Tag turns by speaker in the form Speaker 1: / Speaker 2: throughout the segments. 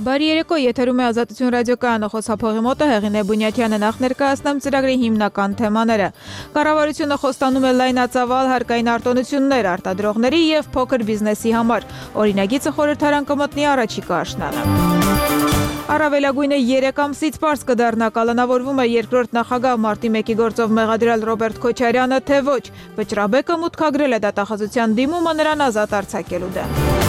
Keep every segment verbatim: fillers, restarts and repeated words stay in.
Speaker 1: Բարի երեկո, եթերում է Ազատություն ռադիոկայանը, խոսափողի մոտ է Հեղինե Բունյաթյանը, նախ ներկայացնեմ ծրագրի հիմնական թեմաները։ Կառավարությունը խոստանում է լայնածավալ հարկային արտոնություններ արտադրողների և փոքր բիզնեսի համար։ Օրինագիծը խորհրդարան կմտնի առաջիկա աշնանը։ Առավելագույնը երեք ամսից պարզ կդառնա, կալանավորվում է երկրորդ նախագահ մարտի մեկի գործով մեղադրյալ Ռոբերտ Քոչարյանը, թե ոչ։ Վճռաբեկը մուտքագրել է դատախազության դիմումը նրան ազատ արձակելու դեմ։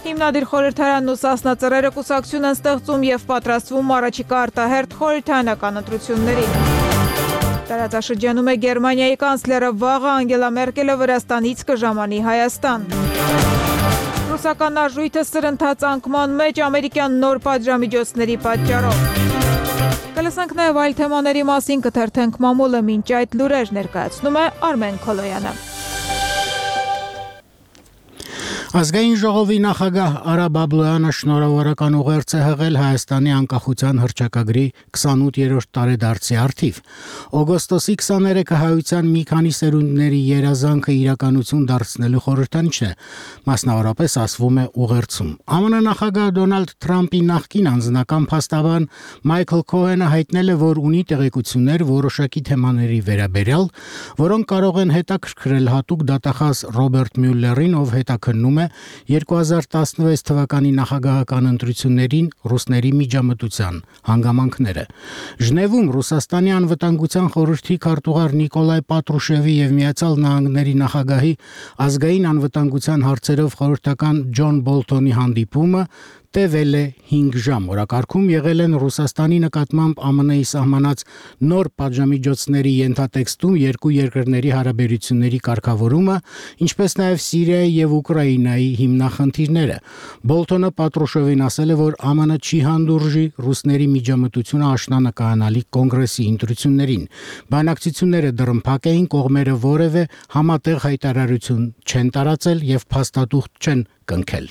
Speaker 1: Հիմնադիր խորհրդարանն ու Սասնա ծռերը կուսակցություն են ստեղծում և պատրաստվում առաջիկա արտահերթ խորհրդարանական ընտրություններին։ Տարածաշրջանում է Գերմանիայի կանցլերը, վաղը Անգելա Մերկելը Վրաստանից կժամանի Հայաստան։ Ռուսական արժույթը սրընթաց անկման մեջ ամերիկյան նոր պատժամիջոցների պատճառով։ Կլսենք նաև այլ թեմաների մասին, կթերթենք մամուլը, մինչ այդ լուրեր ներկայացնում է Արմեն Քոլոյանը։
Speaker 2: Ազգային ժողովի նախագահ Արա Բաբլոյանը շնորհավորական ուղերձ է հղել Հայաստանի անկախության հռչակագրի քսանութերորդ տարեդարձի առթիվ։ Օգոստոսի քսաներեքը հայության մի քանի սերունդների երազանքը իրականություն դարձնելու խորհրդանիշ է, մասնավորապես ասվում է ուղերձում։ ԱՄՆ նախագահ Դոնալդ Թրամփի նախկին անձնական փաստաբան Մայքլ Քոհենը հայտնել է, որ ունի տեղեկություններ որոշակի թեմաների վերաբերյալ, որոնք կարող են հետաքրքրել հատուկ դատախազ Ռոբերտ Մյուլլերին, ով հետաքննում երկու հազար տասնվեց թվականի նախագահական ընտրություններին ռուսների միջամտության հանգամանքները։ Ժնևում Ռուսաստանի անվտանգության խորհրդի քարտուղար Նիկոլայ Պատրուշևի և Միացյալ Նահանգների նախագահի ազգային անվտանգության հարցերով խորհրդական Ջոն Բոլթոնի հանդիպումը տևել է հինգ ժամ։ Օրակարգում եղել են Ռուսաստանի նկատմամբ ԱՄՆ-ի սահմանած նոր պատժամիջոցների ենթատեքստում երկու երկրների հարաբերությունների կարգավորումը, ինչպես նաև Սիրիայի և Ուկրաինայի հիմնախնդիրները։ Բոլթոնը Պատրուշևին ասել է, որ ԱՄՆ չի հանդուրժի ռուսների միջամտությունը աշնանկայանալի կոնգրեսի ընտրություններին։ Բանակցությունները դռնփակ էին, կողմերը որևէ համատեղ հայտարարություն չեն տարածել և փաստաթուղթ չեն կնքել։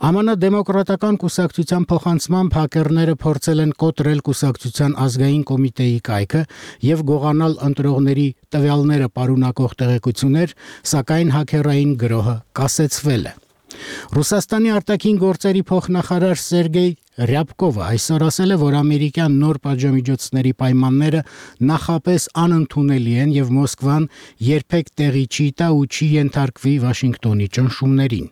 Speaker 2: ԱՄՆ դեմոկրատական կուսակցության փոխանցմամբ հակերները փորձել են կոտրել կուսակցության ազգային կոմիտեի կայքը և գողանալ ընտրողների տվյալները պարունակող տեղեկություններ, սակայն հակերային գրոհը կասեցվել է։ Ռուսաստանի արտաքին գործերի փոխնախարար Սերգեյ Ռյաբկովը այսօր ասել է, որ ամերիկյան նոր պատժամիջոցների պայմանները նախապես անընդունելի են և Մոսկվան երբեք տեղի չի տա ու չի ենթարկվի Վաշինգտոնի ճնշումներին։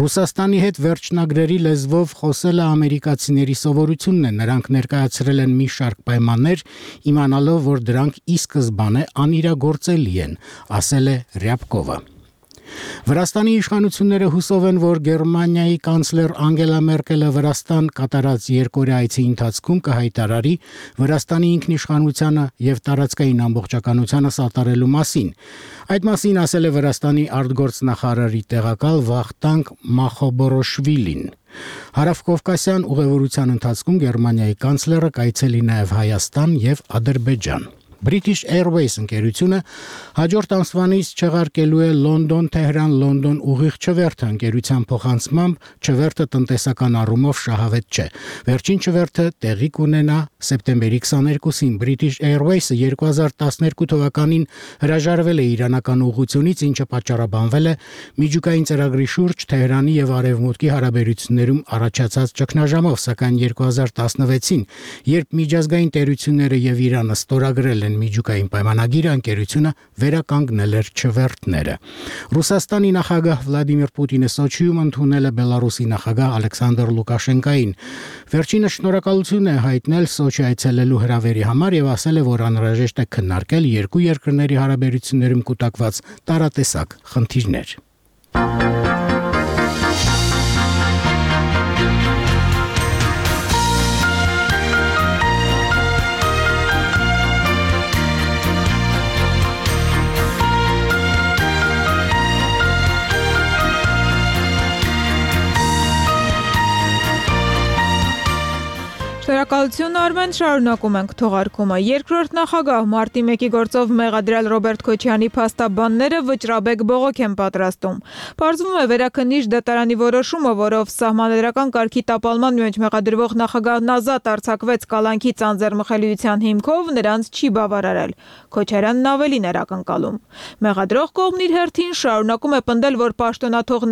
Speaker 2: Ռուսաստանի հետ վերջնագրերի լեզվով խոսելը ամերիկացիների սովորությունն է, նրանք ներկայացրել են մի շարք պայմաններ, իմանալով, որ դրանք ի սկզբանե անիրագործելի են, ասել է Ռյաբկովը։ Վրաստանի իշխանությունները հուսով են, որ Գերմանիայի կանցլեր Անգելա Մերկելը Վրաստան կատարած երկօրյա այցի ընթացքում կհայտարարի Վրաստանի ինքնիշխանությանը և տարածքային ամբողջականությանը սատարելու մասին։ Այդ մասին ասել է Վրաստանի արտգործնախարարի տեղակալ Վախտանգ Մախոբորոշվիլին։ Հարավկովկասյան ուղևորության ընթացքում Գերմանիայի կանցլերը կայցելի նաև Հայաստան և Ադրբեջան։ British Airways ընկերությունը հաջորդ ամսվանից չեղարկելու է Լոնդոն-Թեհրան-Լոնդոն ուղիղ չվերթը ընկերության փոխանցմամբ չվերթը տնտեսական առումով շահավետ չէ։ Վերջին չվերթը տեղի կունենա սեպտեմբերի քսաներկուսին։ British Airways-ը երկու հազար տասներկու թվականին հրաժարվել է իրանական ուղղությունից, ինչը պատճառաբանվել է միջուկային ծրագրի շուրջ Թեհրանի և Արևմուտքի հարաբերություններում առաջացած ճգնաժամով, սակայն երկու հազար տասնվեցին, երբ միջազգային տերությունները և Իրանը ստորագրել են միջուկային պայմանագիրը, ընկերությունը վերականգնել էր չվերթները։ Ռուսաստանի նախագահ Վլադիմիր Պուտինը Սոչիում ընդունել է Բելարուսի նախագահ Ալեքսանդր Լուկաշենկային։ Վերջինս շնորհակալություն է հայտնել Սոչի այցելելու հրավերի համար և ասել է, որ անհրաժեշտ է քննարկել երկու երկրների հարաբերություններում կուտակված տարատեսակ խնդիրներ։
Speaker 1: Շնորհակալություն Արմեն, շարունակում ենք թողարկումը։ Երկրորդ նախագահ մարտի մեկի գործով մեղադրյալ Ռոբերտ Քոչարյանի փաստաբանները վճռաբեկ բողոք են պատրաստում։ Պարզվում է վերաքննիչ դատարանի որոշումը, որով սահմանադրական կարգի տապալման մեջ մեղադրվող նախագահն ազատ արձակվեց կալանքի ծանձեռմխելիության հիմքով, նրանց չի բավարարել։ Քոչարյանն ավելին էր ակնկալում։ Մեղադրող կողմն իր հերթին շարունակում է պնդել, որ պաշտոնաթող